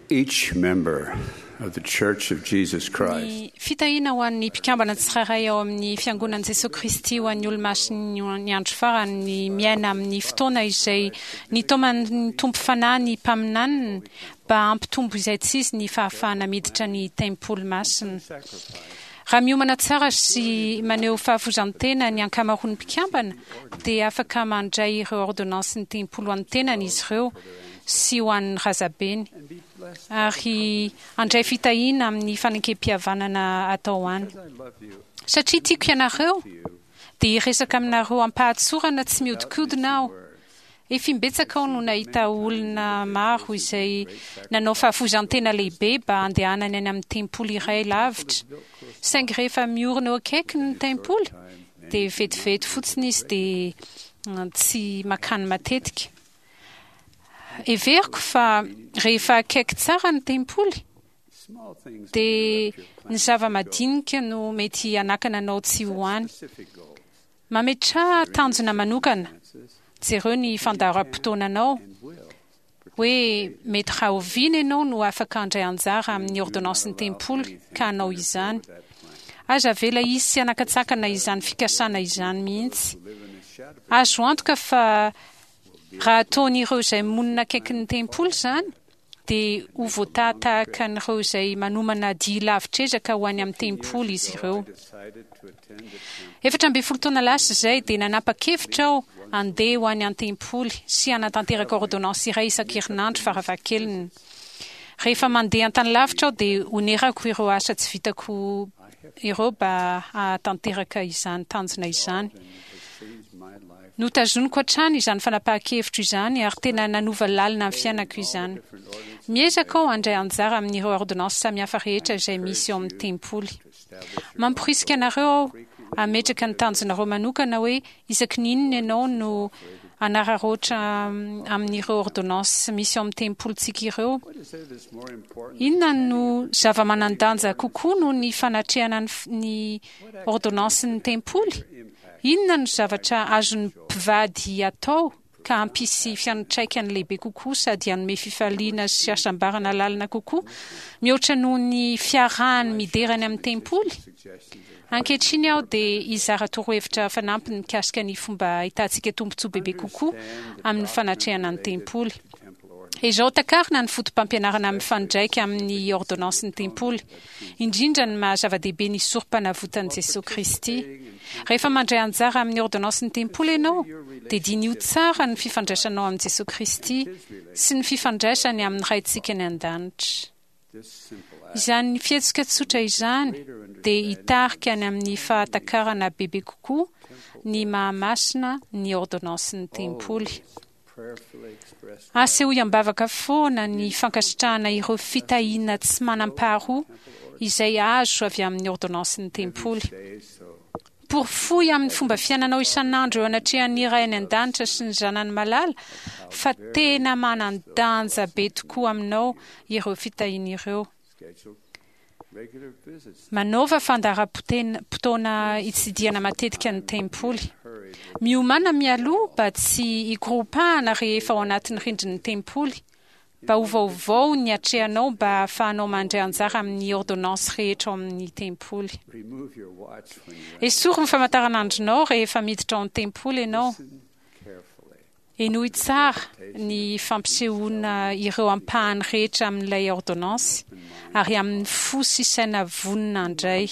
each member of the Church of Jesus Christ. Ny fitahiana ho an'ny mpikambana tsirairay ao amin'ny Fiangonan'i Jesoa Kristy ho an'ny Olomasin'ny Andro Farany ny miaina amin'ny fotoana izay nitaoman'ny Tompo Fanahy ny mpaminaniny mba hampitombo izaitsizy ny fahafahana miditra ny tempoly masina. Raha miomana tsara sy maneho fahafoizan-tena ny ankamaroan'ny mpikambana dia afaka mandray ireo ôrdônansin'ny tempoly ho an'ny tenany izy ireo sy ho an'ny razabeny ary handray fitahiana amin'ny fanekempihavanana atao any. Satria tiako ianareo, dia hiresaka aminareo am-pahatsorana tsy mihodinkodina aho. Efa imbetsaka aho no nahita olona maro izay nanao fahafoizan-tena lehibe mba handehanany any amin'ny tempoly iray lavitra, saingy rehefa miorina eo akaikiny ny tempoly, dia vetivety fotsiny izy dia tsy mankany matetika. Heveriko fa rehefa akaiky tsara ny tempoly, dia ny zava-madinika no mety hanakana anao tsy ho any. Mametraha tanjona manokana. Jereo ny fandaharam-potoananao, hoe mety rahoviana ianao no afaka handray anjara amin'ny ôrdônansin'ny tempoly ka hanao izany. Aza avela hisy hanakatsakana izany fikasana izany mihitsy. Azo antoka fa raha ataon'ireo izay monina akaikin'ny tempoly izany, dia ho voataha tahaka an'ireo izay manomana dia lavitr'ezaka ho any amin'ny tempoly izy ireo. 14 taona lasa izay dia nanapa-kevitra aho handeha ho any an-tempoly sy hanatanteraka ôrdônansy iray isan-kerinandro farafahakeliny. Rehefa mandeha an-tany lavitra aho dia onerako ireo asa tsy vitako ireo mba hahatanteraka izany tanjona izany. Notazoniko hatrany izany fanapahan-kevitro izany ary tena nanova lalina ny fiainako izany. Miezaka aho handray anjara amin'ireo ôrdônansy samihafa rehetra izay misy ao amin'ny tempoly. Mamporisika anareo aho hametraka ny tanjonareo manokana hoe isaky ny inona ianao no hanararaotra amin'ireo ôrdônansy misy ao amin'ny tempolintsika ireo. Inona no zava-manan-danja kokoa noho ny fanatrehana ny ôrdônansin'ny tempoly? Inona no zavatra azon'ny mpivady atao ka hampisy fiantraikany lehibe kokoa sady hanome fifaliana sy hasambarana lalina kokoa mihoatra noho ny fiarahany midera any amin'ny tempoly? Ankehitriny aho dia hizara torohevitra fanampiny mikasika ny fomba ahitantsika tombontsoa bebe kokoa amin'ny fanatrehana ny tempoly. Ezao takarina ny fotopampianarana mifandraika amin'ny ôrdônansin'ny tempoly, indrindra ny maha zava-dehibe ny Sorompanavotan'i Jesoa Kristy. Rehefa mandray anjara amin'ny ôrdônansin'ny tempoly ianao, dia diniho tsara ny fifandraisanao amin'i Jesoa Kristy sy ny fifandraisany amin'ny Raintsika any An-danitra. Izany fihetsika tsotra izany dia hitarika any amin'ny fahatakarana bebe kokoa ny maha masina ny ôrdônansin'ny tempoly. Asehoy am-bavaka foana ny fankasitrahana ireo fitahiana tsy manam-paharoa izay azo avy amin'ny ôrdônansin'ny tempoly. Porofoy amin'ny fomba fiainanao isan'andro eo anatrehan'ny Ray any An-danitra sy ny Zanany Malala fa tena manan-danja be tokoa aminao ireo fitahiana ireo. Manaova fandaharam-potoana hitsidihana matetika ny tempoly. Miomàna mialoha mba tsy hikoropahana rehefa ao anatin'ny rindrin'ny tempoly. Mba ho vaovao ny atrehanao mba hahafahanao mandray anjara amin'ny ôrdônansy rehetra ao amin'ny tempoly. Esory ny famantaranandronao rehefa miditra ao an-tempoly ianao. Henoy tsara ny fampisehoana ireo ampahany rehetra amin'ilay ôrdônansy, ary amin'ny fo sy saina vonona handray.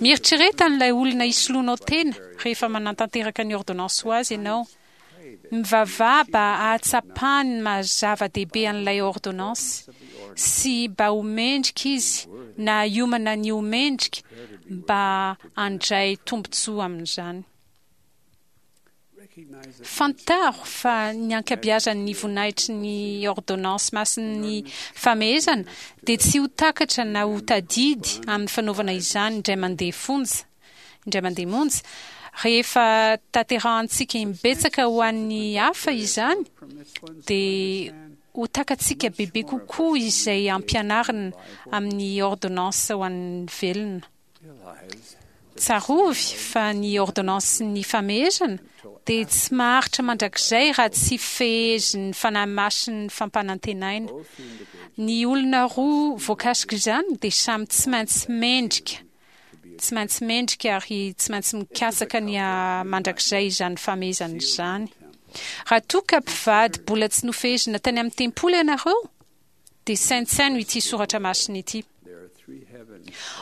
Mieritrereta an'ilay olona hisoloanao tena rehefa manatanteraka ny ôrdônansy ho azy ianao. Mivavaha mba hahatsapany ny maha zava-dehibe an'ilay ôrdônansy, sy mba ho mendrika izy na hiomana ny ho mendrika mba handray tombontsoa amin'izany. Fantaro fa ny ankabiazan'ny voninahitry ny ôrdônansy masin'ny famehezana dia tsy ho takatra na ho tadidy amin'ny fanaovana izany indray mandeha fonja, indray mandeha monja. Rehefa tanterahantsika imbetsaka ho an'ny hafa izany dia ho takatsika bebe kokoa izay ampianarina amin'ny ôrdônansy ho an'ny velona. Tsarovy fa ny ôrdônansin'ny famehezana dia tsy maharitra mandrakizay raha tsy fehezin'ny Fanahy Masin'ny fampanantenaina. Ny olona roa voakasik'izany dia samy tsy maintsy mendrika, tsy maintsy mendrika ary tsy maintsy mikatsaka ny haha mandrakizay izany famehezana izany. Raha toa ka mpivady mbola tsy nofehezina tany amin'ny tempoly ianareo, dia saintsaino ity soratra masina ity.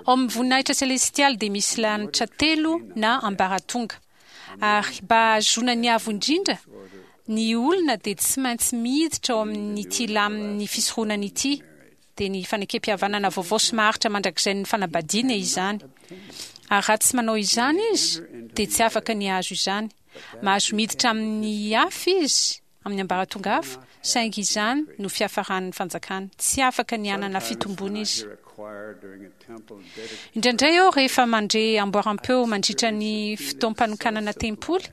Ao amin'ny voninahitra selestialy dia misy lanitra telo na ambaratonga. Ary mba hahazoana ny avo indrindra, ny olona dia tsy maintsy miditra ao amin'ity lamin'ny fisoronana ity, dia ny fanekempihavanana vaovao sy maharitra mandrakizain'ny fanambadiana izany. Ary raha tsy manao izany izy, dia tsy afaka ny hahazo izany. Mahazo miditra amin'ny hafa izy, amin'ny ambaratonga hafa, saingy izany no fiafaran'ny fanjakany. Tsy afaka ny hanana fitomboana izy. Indraindray aho rehefa mandre amboaram-peo mandritra ny fotoam-panokanana tempoly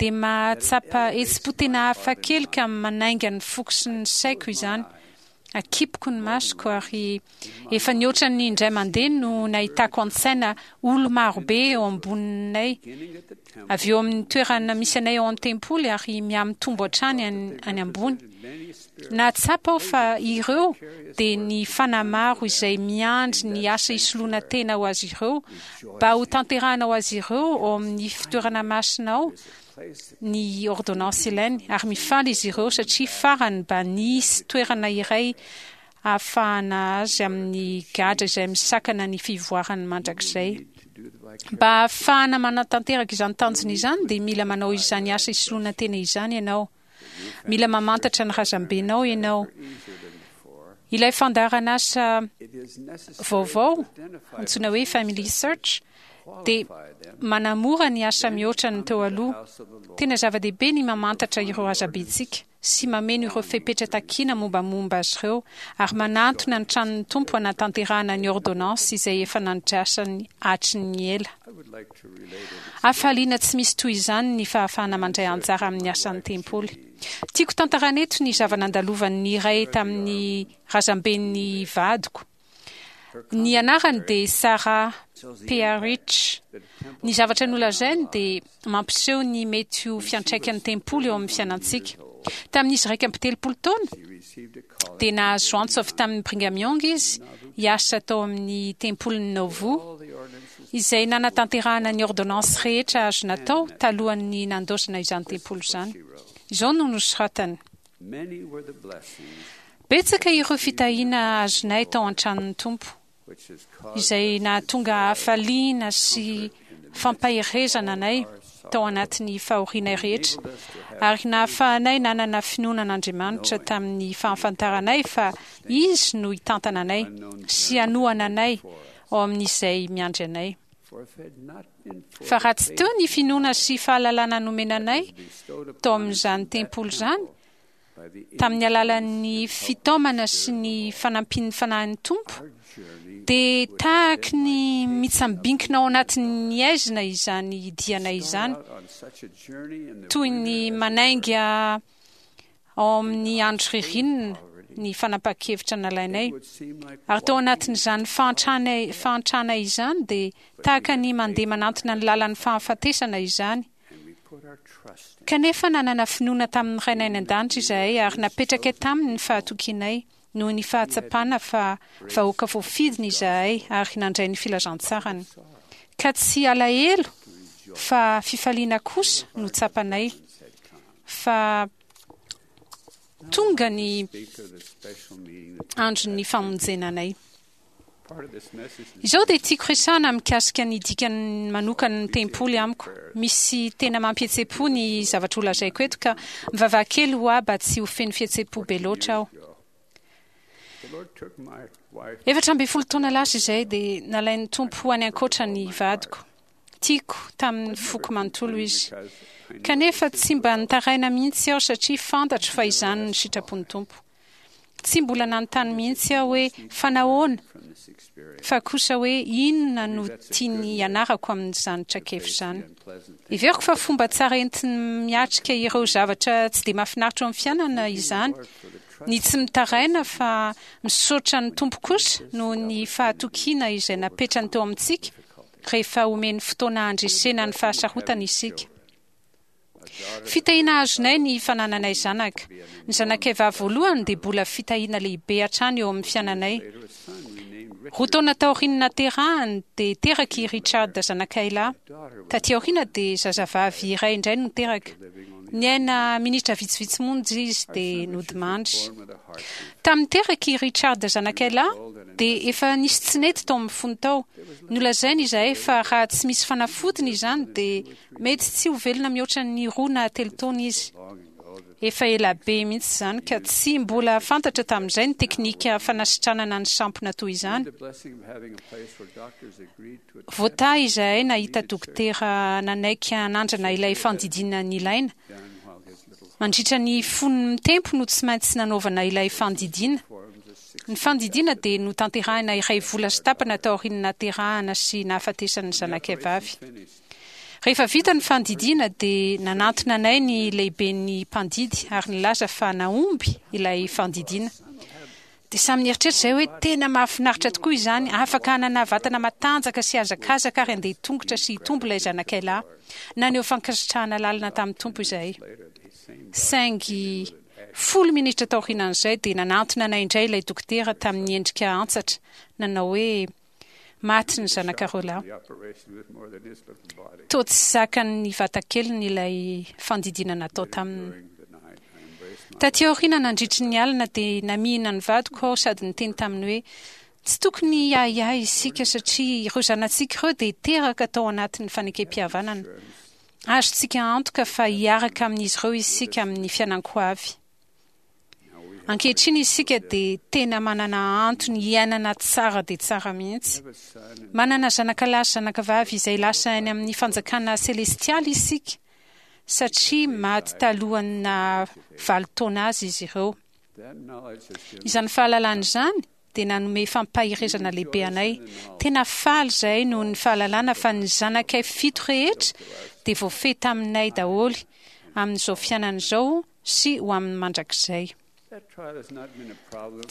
dia mahatsapa hetsi-po tena hafa kely ka manainga ny foko sy ny saiko izany. Akipiko ny masoko ary efa nihoatra ny indray mandeha no nahitako an-tsaina olo-marobe eo amboninay, avy eo amin'ny toerana misy anay ao an-tempoly ary mihamitombo hatrany any ambony. Nahatsapa aho fa ireo dia ny fanahy maro izay miandry ny asa hisoloana tena ho azy ireo mba hotanterahana ho azy ireo ao amin'ny fitoerana masina ao ny ôrdônansy ilainy ary mifaly izy ireo satria farany mba nisy toerana iray ahafahana azy amin'ny gadra izay misakana ny fivoarany mandrakizay. Mba hahafahana manatanteraka izany tanjona izany dia mila manao izany asa isoloana tena izany ianao. Mila mamantatra ny razambenao ianao. Ilay fandaharan'asa vaovao antsoina hoe Family Search dia manamora ny asa mihoatra ny teo aloha. Tena zava-dehibe ny mamantatra ireo razambentsika sy mameno ireo fepetra takiana mombamomba azy ireo ary manantona ny tranon'ny Tompo hanatanterahana ny ôrdônansy izay efa nandrasany hatry ny ela. Hafaliana tsy misy toy izany ny fahafahana mandray anjara amin'ny asan'ny tempoly. Tiako tantaraina eto ny zava-nandalovan'ny iray tamin'ny razamben'ny vadiko. Ny anarany dia Sarah Pearich. Ny zavatra nolazainy dia mampiseho ny mety ho fiantraikan'ny tempoly eo amin'ny fiainantsika. Tamin'izy 31 taona, dia nahazo antso avy tamin'i Brigham Young izy hiasa tao amin'ny tempolin'i Nauvoo, izay nanatanterahana ny ôrdônansy rehetra azo natao talohan'ny nandaozana izany tempoly izany. Izao no nosoratany. Betsaka ireo fitahiana azonay tao an-tranon'ny Tompo, izay nahatonga hafaliana sy fampaherezana anay tao anatin'ny fahorianay rehetra, ary nahafahanay nanana finoana an'Andriamanitra tamin'ny fahafantaranay fa Izy no hitantana anay sy hanohana anay ao amin'izay miandry anay. Fa raha tsy teo ny finoana sy fahalalana nomena anay tao amin'izany tempoly izany, tamin'ny alalan'ny fitaomana sy ny fanampian'ny Fanahin'ny Tompo, dia tahaky ny mitsambinkina ao anatin'ny haizina izany dianay izany, toy ny manainga ao amin'ny andro ririnina ny fanapahan-kevitra nalainay. Ary tao anatin'izany fahantrana fahantrana izany dia tahaka ny mandeha manantona ny lalan'ny fahafatesana izany. Kanefa nanana finoana tamin'ny Rainay any An-danitra izahay ary napetrakay taminy ny fahatokianay noho ny fahatsapana fa vahoaka voafidiny izahay ary nandray ny filazantsarany. Ka tsy alahelo fa fifaliana kosa no tsapanay. fa tonga ny andron'ny famonjena anay. Izao dia tiako resahana mikasika ny dikany manokana ny tempoly amiko. Misy tena mampihetsepo ny zavatra holazaiko eto ka mivavaha kely ho ahy mba tsy ho feno fihetsepo be loatra aho. 14 taona lasa izay dia nalain'ny Tompo ho any ankoatra ny vadiko. Tiako tamin'ny foko manontolo izy. Kanefa tsy mba nitaraina mihitsy aho satria fantatro fa izany no sitrapon'ny Tompo. Tsy mbola nanontany mihitsy aho hoe fa nahoana? Fa kosa hoe inona no tiany hianarako amin'izany traikefa izany. Heveriko fa fomba tsara entiny miatrika ireo zavatra tsy dia mahafinaritra eo amin'ny fiainana izany, ny tsy mitaraina fa misaotra ny Tompo kosa noho ny fahatokiana izay napetrany teo amintsika. rehefa omeny fotoana handresena ny fahasarotana isika. Fitahiana azonay ny fanananay zanaka. Ny zanakay vavy voalohany dia mbola fitahiana lehibe hatrany eo amin'ny fiainanay. Roa taona taorian'ny naterahany dia teraka i Richard zanakay lahy. Taty aoriana dia zazavavy iray indray no teraka. Niaina minitra vitsivitsy monja izy dia nodimandry. Tamin'ny teraka i Richard zanakay lahy dia efa nisy tsy nety tao amin'ny fony tao. Nolazainy izahay fa raha tsy misy fanafodiny izany dia Mety tsy ho velona mihoatra ny roa na telo taona izy. Efa ela be mihitsy izany ka tsy mbola fantatra tamin'izay ny teknika fanasitranana ny sampona toy izany. Voatahy izahay nahita dokotera nanaiky hanandrana ilay fandidiana nilaina. Mandritra ny fony mitempo no tsy maintsy nanaovana ilay fandidiana. Ny fandidiana dia notanterahina iray vola sy tapany taorian'ny nahaterahana sy nahafatesan'ny zanakay vavy. Rehefa vita ny fandidiana dia nanantona anay ny lehiben'ny mpandidy ary nilaza fa nahomby ilay fandidiana. Dia samy nieritreritra izahay hoe tena mahafinaritra tokoa izany, afaka hanana vatana matanjaka sy hazakazaka ary handeha tongotra sy hitombo ilay zanakay lahy. Naneho fankasitrahana lalina tamin'ny Tompo izahay. Saingy folo minitra taorianan'izay dia nanantona anay indray ilay dokotera tamin'ny endrika antsatra, nanao hoe, Maty ny zanakareo lahy. Toa tsy zakan'ny vatakeliny ilay fandidiana natao taminy. Taty aoriana nandritry ny alina dia namihina ny vadiko aho sady niteny taminy hoe, Tsy tokony hiahiahy isika satria ireo zanatsika ireo dia teraka tao anatin'ny fanekempihavanana. Azontsika antoka fa hiaraka amin'izy ireo isika amin'ny fiainan-ko avy. Ankehitriny isika dia tena manana antony hiainana tsara dia tsara mihitsy. Manana zanaka lahy sy zanaka vavy izay lasa any amin'ny fanjakana selestialy isika, satria maty talohan'ny naha valo taona azy izy ireo. Izany fahalalana izany dia nanome fampaherezana lehibe anay. Tena faly izahay noho ny fahalalana fa ny zanakay fito rehetra dia voafehy taminay daholo amin'izao fiainana izao sy ho amin'ny mandrakizay.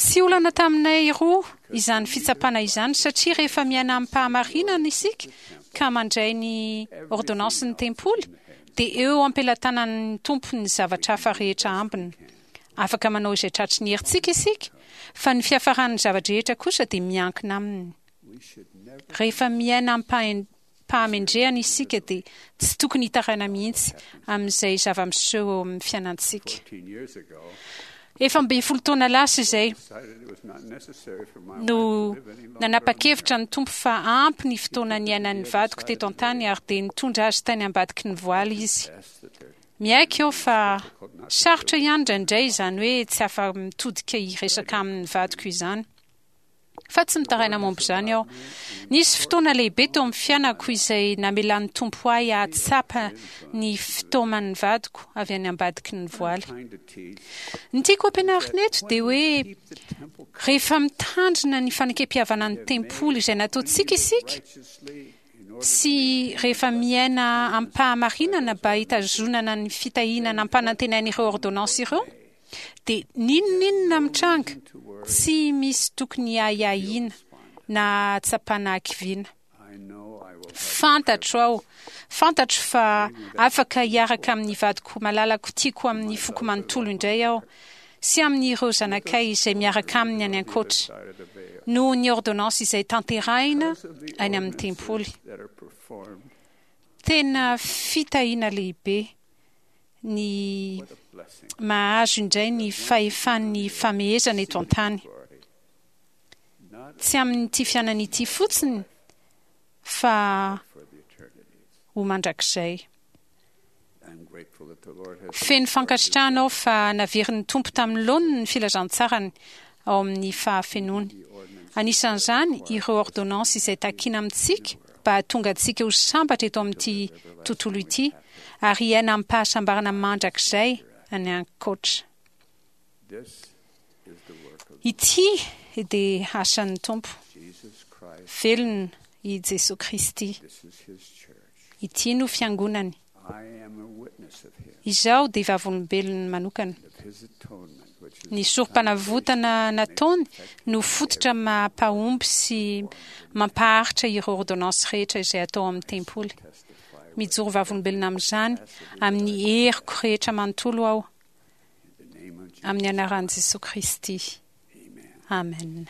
Tsy olana taminay roa izany fitsapana izany satria rehefa miaina amim-pahamarinana isika ka mandray ny ôrdônansin'ny tempoly dia eo am-pelatanan'ny Tompo ny zavatra hafa rehetra ambiny. Afaka manao izay tratry ny herintsika isika fa ny fiafaran'ny zava-drehetra kosa dia miankina Aminy. Rehefa miaina amim-pahendrena pahamendrehana isika dia tsy tokony hitaraina mihitsy amin'izay zava-miseho eo amin'ny fiainantsika. Efa 11 taona lasa izay no nanapa-kevitra ny Tompo fa ampy ny fotoana niainan'ny vadiko teto an-tany ary dia nitondra azy tany ambadiky ny voaly izy. Miaiky aho fa sarotra ihany indraindray izany hoe tsy afa-mitodika hiresaka amin'ny vadiko izany. Fa tsy mitaraina momba izany aho. Nisy fotoana lehibe teo amin'ny fiainako izay namelan'ny Tompo ahy hahatsapa ny fitaoman'ny vadiko avy any ambadiky ny voaly. Ny tiako hampianarina eto dia hoe rehefa mitandrina ny fanekempihavanan'ny tempoly izay nataontsika isika, sy rehefa miaina amim-pahamarinana mba hitazonana ny fitahiana nampanantenain'ireo ôrdônansy ireo, Dia n'inon'inona mitranga, tsy misy tokony hiahiahiana na hahatsapana hakiviana. Fantatro aho, fantatro fa afaka hiaraka amin'ny vadiko malalako tiako amin'ny foko manontolo indray aho, sy amin'ireo zanakay izay miaraka aminy any ankoatra, noho ny ôrdônansy izay tanterahina any amin'ny tempoly. Tena fitahiana lehibe ny mahazo indray ny fahefan'ny famehezana eto an-tany. Tsy amin'ity fiainana ity fotsiny fa ho mandrakizay. Feno fankasitrahana aho fa naverin'ny Tompo tamin'ny laoniny ny filazantsarany ao amin'ny fahafenoany. Anisan'izany ireo ôrdônansy izay takina amintsika mba hahatonga antsika ho sambatra eto amin'ity tontolo ity ary hiaina amim-pahasambarana mandrakizay any ankoatra. Ity dia asan'ny Tompo. Velona i Jesoa Kristy. Ity no Fiangonany. Izaho dia vavolombelony manokana. Ny sorompanavotana nataony no fototra mampahomby sy mampaharitra ireo ôrdônansy rehetra izay atao ao amin'ny tempoly. Mijoro vavolombelona amin'izany amin'ny heriko rehetra manontolo aho, amin'ny anaran'i Jesoa Kristy. Amen.